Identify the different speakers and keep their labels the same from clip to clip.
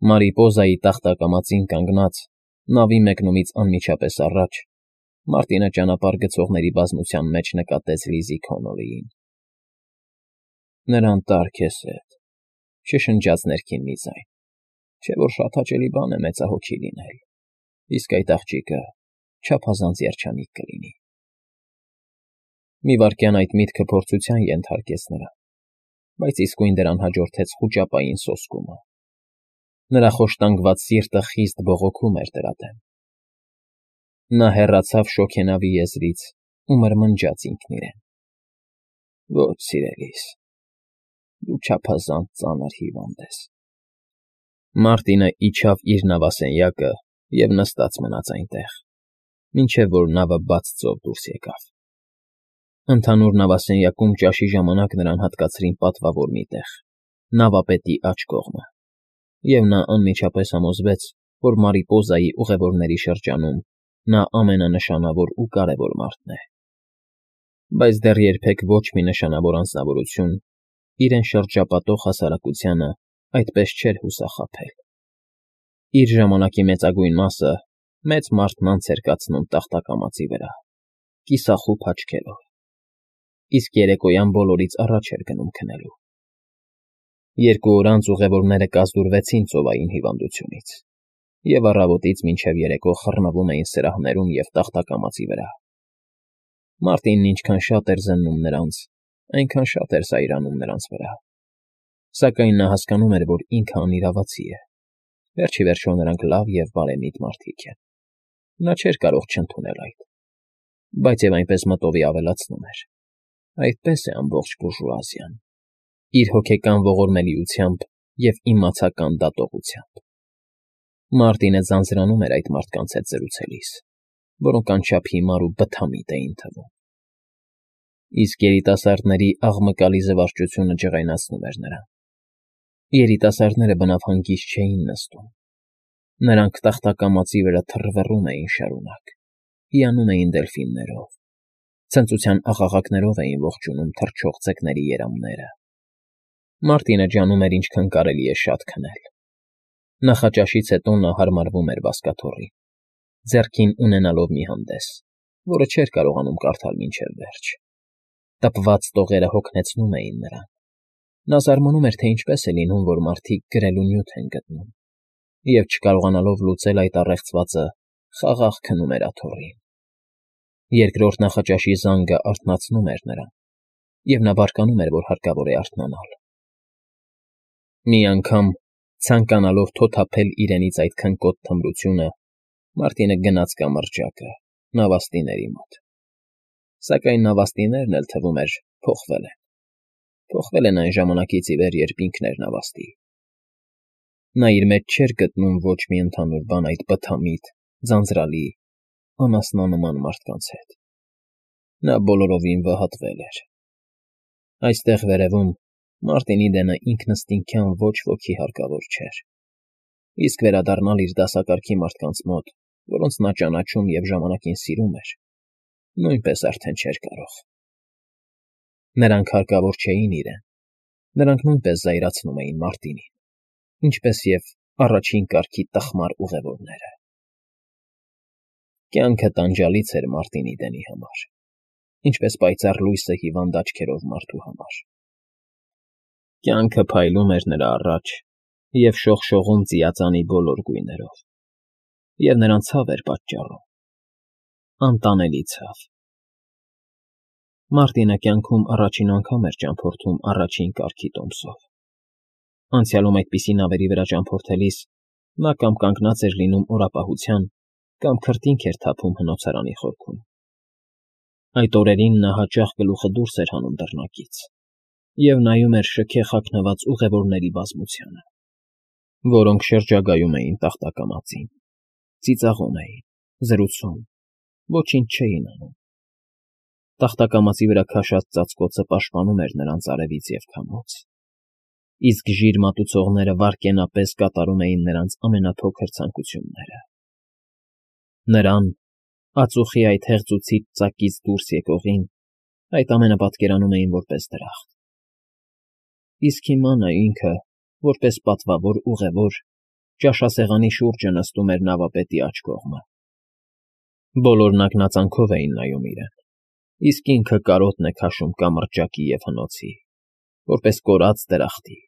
Speaker 1: Մարիպոզայի տախտակամածին կանգնած, նավի մեկնումից անմիջապես առաջ, Մարտինը ճանապարհ գցողների բազմության մեջ նկատեց Լիզի Քոնոլիին։ Նրան տար քեզ հետ,֊ շշնջաց ներքին մի ձայն,֊ չէ՞ որ շատ հաճելի բան է մեծահոգի լինել, իսկ այդ աղջիկը չափազանց երջանիկ կլինի։ Մի վայրկյան այդ միտքը փորձության ենթարկեց նրան, բայց իսկույն դրան հաջորդեց խուճապային սոսկումը։ Նրա խոշտանգված սիրտը խիստ բողոքում էր դրա դեմ։ Նա հեռացավ շոգենավի եզրից ու մրմնջաց ինքն իրեն. «Ոչ, սիրելիս, դու չափազանց ծանր հիվանդ ես»։ Մարտինը իջավ իր նավասենյակը և նստած մնաց այնտեղ, մինչև որ նավը բաց ծով դուրս եկավ։ Ընդհանուր նավասենյակում ճաշի ժամանակ նրան հատկացրին պատվավոր մի տեղ՝ նավապետի աջ կողմը, և նա անմիջապես համոզվեց, որ Մարիպոզայի ուղևորների շրջանում նա ամենանշանավոր ու կարևոր մարդն է։ Բայց դեռ երբեք ոչ մի նշանավոր անձնավորություն իրեն շրջապատող հասարակությանը այդպես չէր հուսախաբել։ Իր ժամանակի մեծագույն մասը մեծ մարդկանց էր կացնում տախտակամածի վրա, կիսախուփ աչքերով, իսկ երեկոյան բոլորից առաջ էր գնում քնելու։ 2 օր անց ուղևորները կազդուրվեցին ծովային հիվանդությունից և առավոտից մինչև երեկո խռնվում էին սրահներում և տախտակամածի վրա։ Մարտինն ինչքան շատ էր զննում նրանց, այնքան շատ էր զայրանում նրանց վրա, սակայն նա հասկանում էր, որ ինքը անիրավացի է։ Վերջ ի վերջո նրանք լավ և բարեմիտ մարդիկ են։ Նա չէր կարող չընդունել այդ, բայց և այնպես մտովի ավելացնում էր. այդպես է ամբողջ բուրժուազիան, իր հոգեկան ողորմելիությամբ և իմացական դատողությամբ։ Մարտինը ձանձրանում էր այդ մարդկանց հետ զրուցելիս, որոնք անչափ հիմար ու բթամիտ էին թվում։ Իսկ երիտասարդների աղմկալի զվարճությունը ջղայնացնում էր նրան։ Երիտասարդները բնավ հանգիստ չէին նստում։ Նրանք տախտակամածի վրա թռվռում էին շարունակ, հիանում էին դելֆիններով, ցնծության աղաղակներով էին ողջունում թռչող ձկների երամները։ Մարտինը ջանում էր ինչքան կարելի է շատ քնել։ Նախաճաշից հետո նա հարմարվում էր բազկաթոռին, ձեռքին ունենալով մի հանդես, որը չէր կարողանում կարդալ մինչև վերջ։ Տպված տողերը հոգնեցնում էին նրան։ Նա զարմանում էր, թե ինչպես է լինում, որ մարդիկ գրելու նյութ են գտնում, և չկարողանալով լուծել այդ առեղծվածը, խաղաղ քնում էր աթոռին։ Երկրորդ նախաճաշի զանգը արթնացնում էր նրան, և նա բարկանում էր, որ հարկավոր է արթնանալ։ Մի անգամ, ցանկանալով թոթափել իրենից այդ քնկոտ թմրությունը, Մարտինը գնաց կամրջակը, նավաստիների մոտ։ Սակայն նավաստիներն էլ, թվում էր, փոխվել են։ Փոխվել են այն ժամանակից ի վեր, երբ ինքն էր նավաստի։ Նա իր մեջ չէր գտնում ոչ մի ընդհանուր բան այդ բթամիտ, ձանձրալի, անասնանման մարդկանց հետ։ Նա բոլորովին վհատվել էր։ Այստեղ վերևում Մարտինի դենը ինքնըստինքյան ոչ ոքի հարկավոր չէր, իսկ վերադառնալ իր դասակարգի մարդկանց մոտ, որոնց նա ճանաչում և ժամանակին սիրում էր, նույնպես արդեն չէր կարող։ Նրանք հարկավոր չէին իրեն, նրանք նույնպես զայրացնում էին Մարտինին, ինչպես և առաջին կարգի տխմար ուղևորները։ Կյանքը տանջալից էր Մարտինի դենի համար, ինչպես պայծառ լույսը հիվանդ աչքերով մարդու համար։ Կյանքը փայլում էր նրա առաջ և շողշողում ծիածանի բոլոր գույներով, և նրան ցավ էր պատճառում, անտանելի ցավ։ Մարտինը կյանքում առաջին անգամ էր ճամփորդում առաջին կարգի տոմսով։ Անցյալում այդպիսի նավերի վրա ճամփորդելիս նա կամ կանգնած էր լինում օրապահության, կամ քրտինք էր թափում հնոցարանի խորքում։ Այդ օրերին նա հաճախ գլուխը դուրս էր հանում դռնակից և նայում էր շքեղ հագնված ուղևորների բազմությանը, որոնք շրջագայում էին տախտակամածին, ծիծաղում էին, զրուցում, ոչինչ չէին անում։ Տախտակամածի վրա քաշած ծածկոցը պաշտպանում էր նրանց արևից և քամուց, իսկ ժիր մատուցողները վայրկենապես կատարում էին նրանց ամենափոքր ցանկությունները։ Նրան, ածուխի այդ հեղձուցիչ ծակից դուրս եկողին, այդ ամենը պատկերանում էին որպես դրախտ։ Իսկ հիմա նա ինքը, որպես պատվավոր ուղևոր, ճաշասեղանի շուրջը նստում էր նավապետի աջ կողմը։ Բոլորն ակնածանքով էին նայում իրեն, իսկ ինքը կարոտն է քաշում կամրջակի և հնոցի, որպես կորած դրախտի։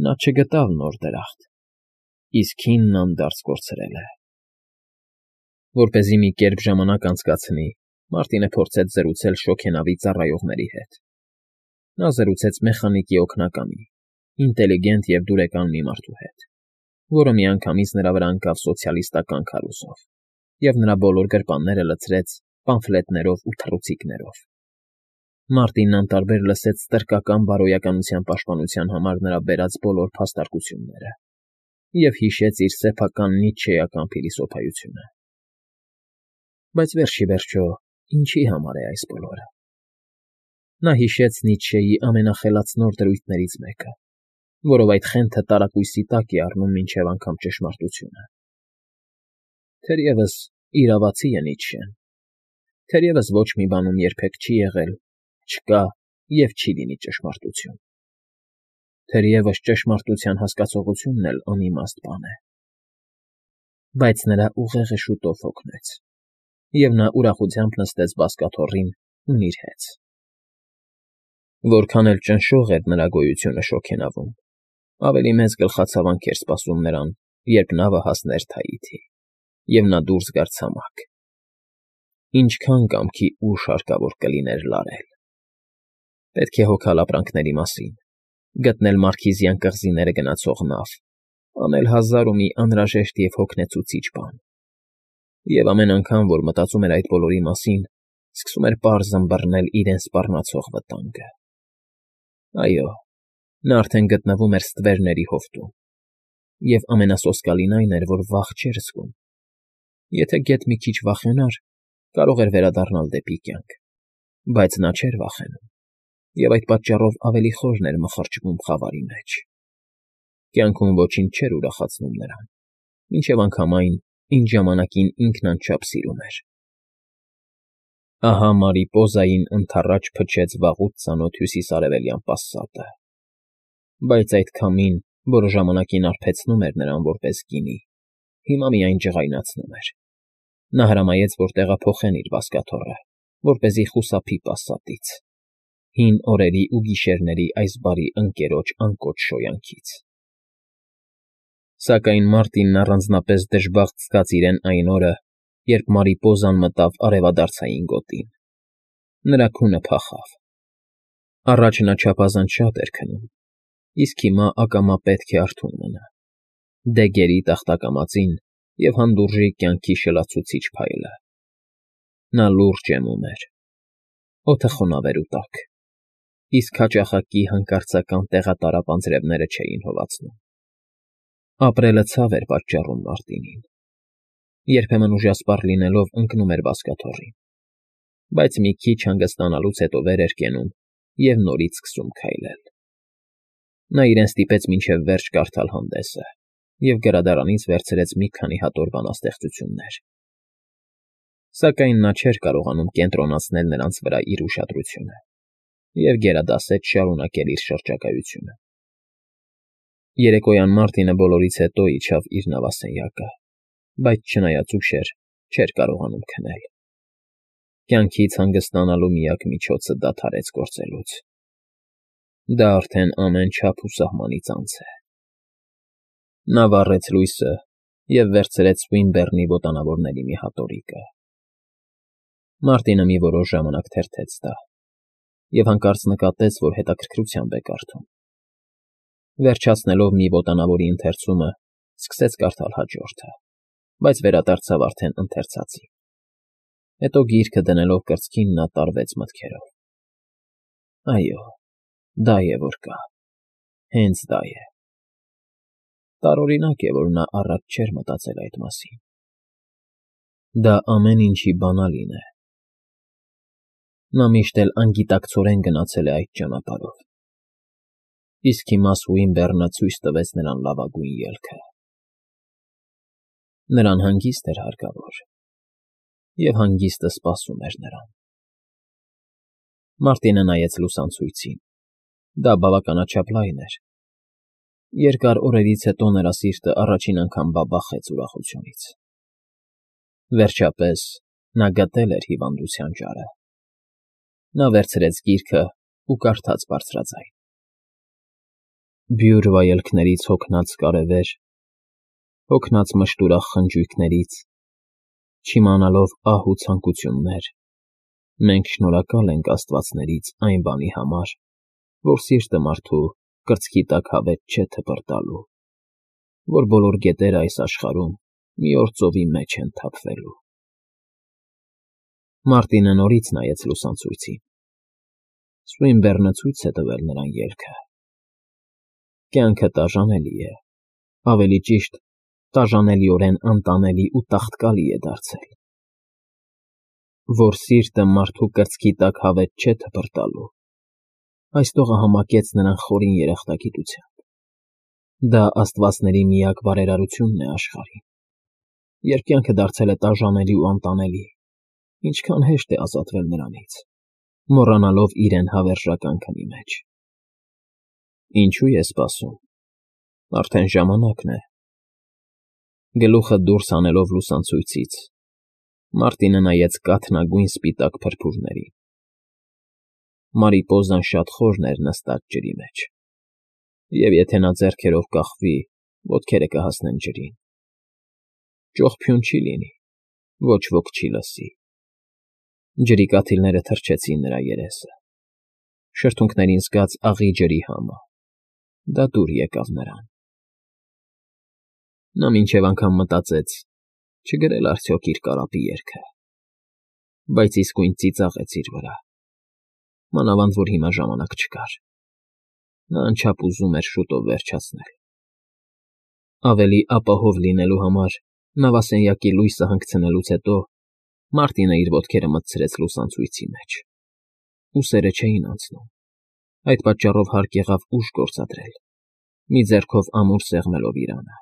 Speaker 1: Նա չգտավ նոր դրախտ, իսկ հինն անդարձ կորցրել է։ Որպեսզի մի կերպ ժամանակ անցկացնի, Մարտինը փորձեց զրուցել շոգենավի ծառայողների հետ։ Նա զրուցեց մեխանիկի օգնականի, ինտելիգենտ և դուրեկան մի մարդու հետ, որը միանգամից նրա վրա ընկավ սոցիալիստական քարոզով և նրա բոլոր գրպանները լցրեց պամֆլետներով ու թռուցիկներով։ Մարտինն անտարբեր լսեց ստրկական բարոյականության պաշտպանության համար նրա բերած բոլոր փաստարկությունները և հիշեց իր սեփական նիցշեական փիլիսոփայությունը։ Բայց վերջիվերջո, ինչի համար է այս բոլորը։ Նա հիշեց Նիցշեի ամենախելացնոր դրույթներից մեկը, որով այդ խենթը տարակույսի տակ է առնում մինչև անգամ ճշմարտությունը։ Թերևս իրավացի է Նիցշեն, թերևս ոչ մի բանում երբեք չի եղել, չկա և չի լինի ճշմարտություն։ Թերևս ճշմարտության հասկացողությունն էլ անիմաստ բան է։ Բայց նրա ուղեղը շուտով հոգնեց, և նա ուրախությամբ նստեց բազկաթոռին ու նիրհեց։ Որքան էլ ճնշող էր նրա գոյությունը շոգենավում, ավելի մեծ գլխացավանք էր սպասում նրան, երբ նավը հասներ Թաիթի, և նա դուրս գար ցամաք։ Ինչքան կամքի ուժ հարկավոր կլիներ լարել։ Պետք է հոգալ ապրանքների մասին, գտնել Մարքիզյան կղզիները գնացող նավ, անել հազար ու մի անհրաժեշտ և հոգնեցուցիչ բան։ Եվ ամեն անգամ, որ մտածում էր այդ բոլորի մասին, սկսում էր պարզ ըմբռնել իրեն սպառնացող վտանգը։ Այո, նա արդեն գտնվում էր ստվերների հովտում, և ամենասոսկալին այն էր, որ վախ չէր զգում։ Եթե գեթ մի քիչ վախենար, կարող էր վերադառնալ դեպի կյանք, բայց նա չէր վախենում, և այդ պատճառով ավելի խորն էր մխրճվում խավարի մեջ։ Կյանքում ոչինչ չէր ուրախացնում նրան, մինչև անգամ այն, ինչ ժամանակին ինքն անչափ սիրում էր։ Ահա Մարիպոզային ընդառաջ փչեց վաղուց ծանոթ հյուսիսարևելյան պասատը։ Բայց այդ քամին, որը ժամանակին արբեցնում էր նրան որպես գինի, հիմա միայն ջղայնացնում էր։ Նա հրամայեց, որ տեղափոխեն իր բազկաթոռը, որպեսզի խուսափի պասատից, հին օրերի ու գիշերների այս բարի ընկերոջ անկոչ շոյանքից։ Սակայն Մարտինն առանձնապես դժբախտ զգաց իրեն այն օրը, երբ Մարիպոզան մտավ արևադարձային գոտին։ Նրա քունը փախավ։ Առաջ նա չափազանց շատ էր քնում, իսկ հիմա ակամա պետք է արթուն մնա, դե գերի տախտակամածին և հանդուրժի կյանքի շլացուցիչ փայլը։ Նա լուրջ եմում էր։ Օդը խոնավ էր ու տաք, իսկ հաճախակի հանկարծական տեղատարապ անձրևները չէին հովացնում։ Ապրելը ցավ էր պատճառում Մարտինին։ Երբեմն ուժասպառ լինելով ընկնում էր բազկաթոռին, բայց մի քիչ հանգստանալուց հետո վեր էր կենում և նորից սկսում քայլել։ Նա իրեն ստիպեց մինչև վերջ կարդալ հանդեսը և գրադարանից վերցրեց մի քանի հատոր բանաստեղծություններ։ Սակայն նա չէր կարողանում կենտրոնացնել նրանց վրա իր ուշադրությունը և գերադասեց շարունակել իր շրջագայությունը։ Երեկոյան Մարտինը բոլորից հետո իջավ իր նավասենյակը, բայց չնայած ուշ էր, չէր կարողանում քնել։ Կյանքից հանգստանալու միակ միջոցը դադարեց գործելուց։ Դա արդեն ամեն չափ ու սահմանից անց է։ Նա վառեց լույսը և վերցրեց Սուինբեռնի ոտանավորների մի հատորիկը։ Մարտինը մի որոշ ժամանակ թերթեց դա և հանկարծ նկատեց, որ հետաքրքրությամբ է կարդում։ Վերջացնելով մի ոտանավորի ընթերցումը, սկսեց կարդալ հաջորդը, բայց վերադարձավ արդեն ընթերցածին։ Հետո գիրքը դնելով կրծքին նա տարվեց մտքերով։ Այո, դա է որ կա, հենց դա է։ Տարօրինակ է, որ նա առաջ չէր մտածել այդ մասին։ Դա ամեն ինչի բանալին է։ Նա միշտ էլ անգիտակցորեն գնացել է այդ ճանապարհով։ Իսկ հիմա Սուինբեռնը ցույց տվեց նրան լավագույն ելքը։ Նրան հանգիստ էր հարկավոր, և հանգիստը սպասում էր նրան։ Մարտինը նայեց լուսանցույցին։ Դա բավականաչափ լայն էր։ Երկար օրերից հետո նրա սիրտը առաջին անգամ բաբախեց ուրախությունից. վերջապես նա գտել էր հիվանդության ճարը։ Նա վերցրեց գիրքն ու կարդաց բարձրաձայն. Բյուր վայելքներից հոգնած կարևեր, հոգնած մշտուրախ խնջույքներից, չիմանալով ահ ու ցանկություններ, մենք շնորհակալ ենք աստվածներից այն բանի համար, որ սիրտը մարդու կրծքի տակ հավետ չէ թպրտալու, որ բոլոր գետերը այս աշխարհում մի օր ծովի մեջ են թափվելու։ Մարտինը նորից նայեց լուսանցույցին։ Սուինբեռնը ցույց է տվել նրան ելքը։ Կյանքը տաժանելի է, ավելի ճիշտ, տաժանելիորեն անտանելի ու տաղտկալի է դարձել։ Որ սիրտը մարդու կրծքի տակ հավետ չէ թպրտալու, այս տողը համակեց նրան խորին երախտագիտությամբ։ Դա աստվածների միակ բարերարությունն է աշխարհին։ Երբ կյանքը դարձել է տաժանելի ու անտանելի, ինչքան հեշտ է ազատվել նրանից, մոռանալով իրեն հավերժական քնի մեջ։ Ինչու է սպասում։ Արդեն ժամանակն է։ Գլուխը դուրս հանելով լուսանցույցից, Մարտինը նայեց կաթնագույն սպիտակ փրփուրներին։ Մարիպոզան շատ խորն էր նստած ջրի մեջ, և եթե նա ձեռքերով կախվի, ոտքերը կհասնեն ջրին։ Ճողփյուն չի լինի, ոչ ոք չի լսի։ Ջրի կաթիլները թրջեցին նրա երեսը։ Շրթունքներին զգաց աղի ջրի համը։ Դա դուր եկավ նրան։ Նա մինչև անգամ մտածեց, չգրել արդյոք իր կարապի երգը, բայց իսկույն ծիծաղեց իր վրա, մանավանդ որ հիմա ժամանակ չկար։ Նա անչափ ուզում էր շուտով վերջացնել։ Ավելի ապահով լինելու համար նավասենյակի լույսը հանգցնելուց հետո Մարտինը իր ոտքերը մտցրեց լուսանցույցի մեջ։ Ուսերը չէին անցնում։ Այդ պատճառով հարկ եղավ ուժ գործադրել, մի ձեռքով ամուր սեղմելով իրանը։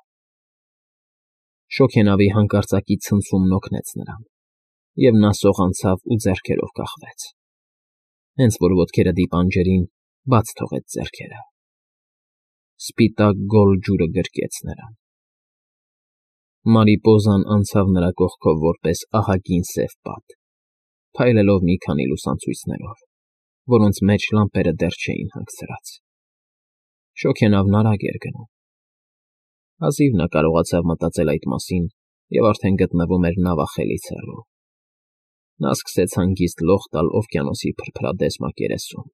Speaker 1: Շոգենավի հանկարծակի ցնցումն օգնեց նրան, և նա սողանցավ ու ձեռքերով կախվեց։ Հենց որ ոտքերը դիպան ջրին, բաց թողեց ձեռքերը։ Սպիտակ գոլ ջուրը գրկեց նրան։ Մարիպոզան անցավ նրա կողքով որպես ահագին սև պատ, փայլելով մի քանի լուսանցույցներով, որոնց մեջ լամպերը դեռ չէին հանգցրած։ Շոգենավն արագ էր գնում։ Հազիվ նա կարողացավ մտածել այդ մասին և արդեն գտնվում էր նավախելից հեռու։ Նա սկսեց հանգիստ լող տալ օվկիանոսի փրփրադես մակերեսում։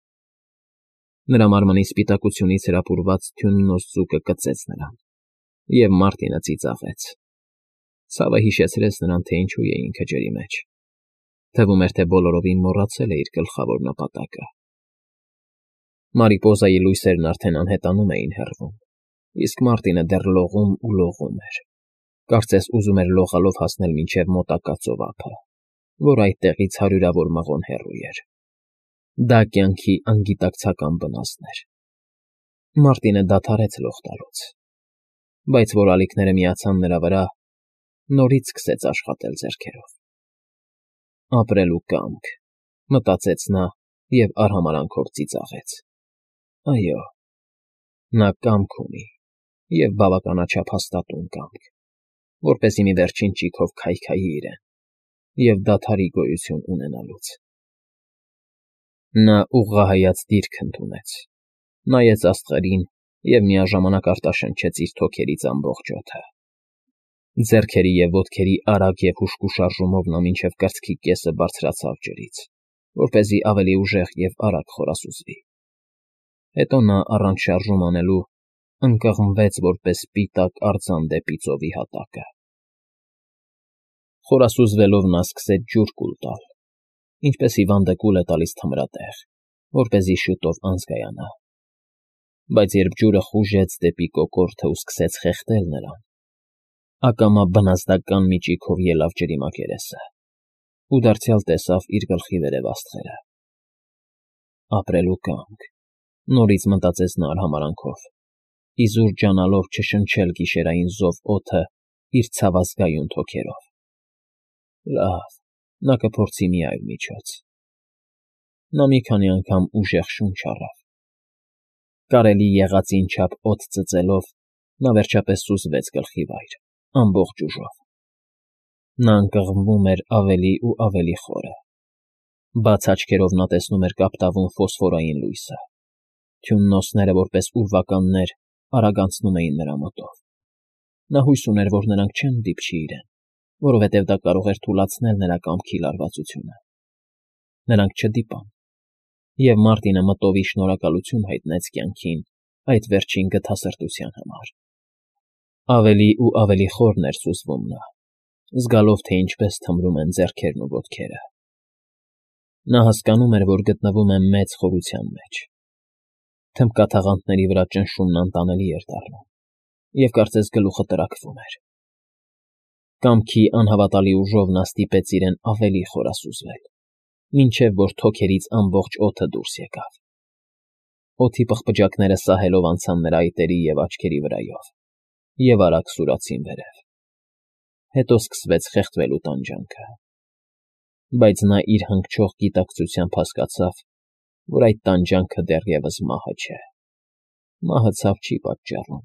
Speaker 1: Նրա մարմնի սպիտակությունից հրապուրված թույն նոսձուկը կծեց նրան, և Մարտինը ծիծաղեց։ Ցավը հիշեցրեց նրան, թե ինչու է ինքը ջրի մեջ։ Թվում էր, թե բոլորովին մոռացել է իր գլխավոր նպատակը։ Մարիպոզայի լույսերն արդեն անհետանում էին հեռվում, իսկ Մարտինը դեռ լողում ու լողում էր։ Կարծես ուզում էր լողալով հասնել մինչև մոտակա ծովափը, որ այդտեղից հարյուրավոր մղոն հեռու էր։ Դա կյանքի անգիտակցական վնասն էր։ Մարտինը դադարեց լող տալուց, բայց որ ալիքները միացան նրա վրա, նորից սկսեց աշխատել ձեռքերով։ Ապրելու կամք, մտածեց նա և արհամարհանքով ծիծաղեց։ Այո, նա կամք ունի և բավականաչափ հաստատուն կամք, որպեսզի մի վերջին ճիգով քայքայի իրեն և դադարի գոյություն ունենալուց։ Նա ուղղահայաց դիրք ընդունեց, նայեց աստղերին և միաժամանակ արտաշնչեց իր թոքերից ամբողջ օդը։ Ձեռքերի և ոտքերի արագ և հուժկու շարժումով նա մինչև կրծքի կեսը բարձրացավ ջրից, որպեսզի ավելի ուժեղ և արագ խորասուզվի։ Հետո նա, առանց շարժում անելու, ընկղմվեց որպես սպիտակ արձան դեպի ծովի հատակը։ Խորասուզվելով նա սկսեց ջուր կուլ տալ, ինչպես հիվանդը կուլ է տալիս թմրատեղ, որպեսզի շուտով անզգայանա։ Բայց երբ ջուրը խուժեց դեպի կոկորդն ու սկսեց խեղդել նրան, ակամա բնազդական մի ճիգով ելավ ջրի մակերեսը ու դարձյալ տեսավ իր գլխի վերև աստղերը։ Ապրելու կամք, նորից մտածեց նա արհամարհանքով, իզուր ջանալով չշնչել գիշերային զով օդը իր ցավազգայուն թոքերով։ Լավ, նա կփորձի մի այլ միջոց։ Նա մի քանի անգամ ուժեղ շունչ առավ, Կարելի եղածին չափ օդ ծծելով, նա վերջապես սուզվեց գլխի վայր, ամբողջ ուժով։ Նա ընկղմվում էր ավելի ու ավելի խորը։ Բաց աչքերով նա տեսնում էր կապտավուն ֆոսֆորային լույսը։ Թյուննոսները, որպես ուրվականներ, արագ անցնում էին նրա մոտով։ Նա հույս ուներ, որ նրանք չեն դիպչի իրեն, որովհետև դա կարող էր թուլացնել նրա կամքի լարվածությունը։ Նրանք չդիպան, և Մարտինը մտովի շնորհակալություն հայտնեց կյանքին այդ վերջին գթասրտության համար։ Ավելի ու ավելի խորն էր սուզվում նա, զգալով, թե ինչպես թմրում են ձեռքերն ու ոտքերը։ Նա հասկանում էր, որ գտնվում է մեծ խորության մեջ։ Թմբկաթաղանթների վրա ճնշումն անտանելի էր դառնում, և կարծես գլուխը տրաքվում էր։ Կամքի անհավատալի ուժով նա ստիպեց իրեն ավելի խորասուզվել, մինչև որ թոքերից ամբողջ օդը դուրս եկավ։ Օդի պղպջակները սահելով անցան նրա այտերի և աչքերի վրայով և արագ սուրացին վերև։ Հետո սկսվեց խեղդվելու տանջանքը։ Բայց նա իր հանգչող գիտակցությամբ հասկացավ, որ այդ տանջանքը դեռևս մահը չէ։ Մահը ցավ չի պատճառում։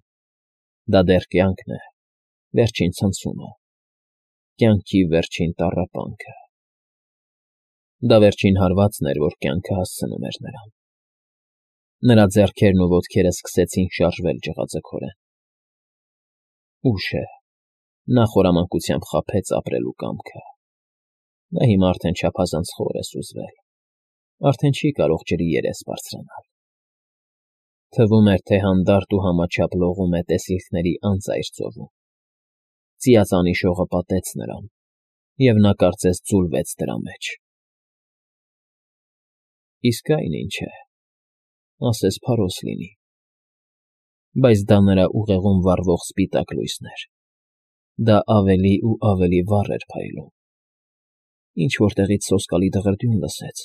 Speaker 1: Դա դեռ կյանքն է, վերջին ցնցումը, կյանքի վերջին տառապանքը։ Դա վերջին հարվածն էր, որ կյանքը հասցնում էր նրան։ Նրա ձեռքերն ու ոտքերը սկսեցին շարժվել ջղաձգորեն։ Ուշ է, նա խորամանկությամբ խաբեց ապրելու կամքը։ Նա հիմա արդեն չափազանց խոր է սուզվել, արդեն չի կարող ջրի երես բարձրանալ։ Թվում էր, թե հանդարտ ու համաչափ լողում է տեսիլքների անծայր ծովում։ Ծիածանի շողը պատեց նրան, և նա կարծես ձուլվեց դրա մեջ։ Իսկ այն ինչ է, ասես փարոս լինի։ Բայց դա նրա ուղեղում վառվող սպիտակ լույսն էր։ Դա ավելի ու ավելի վառ էր փայլում։ Ինչ֊որ տեղից սոսկալի դղրդյուն լսեց,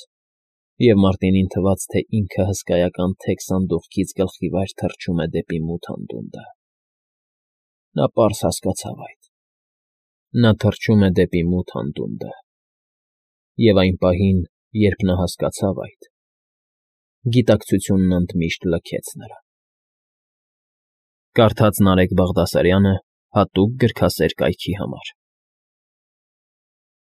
Speaker 1: և Մարտինին թվաց, թե ինքը հսկայական թեք սանդուղքից գլխի վայր թռչում է դեպի մութ անդունդը։ Նա պարզ հասկացավ այդ. նա թռչում է դեպի մութ անդունդը։ Եվ այն պահին, երբ նա հասկացավ այդ, գիտակցությունն ընդմիշտ լքեց նրան։ Կարդաց Նարեկ Բաղդասարյանը հատուկ գրքասեր կայքի համար։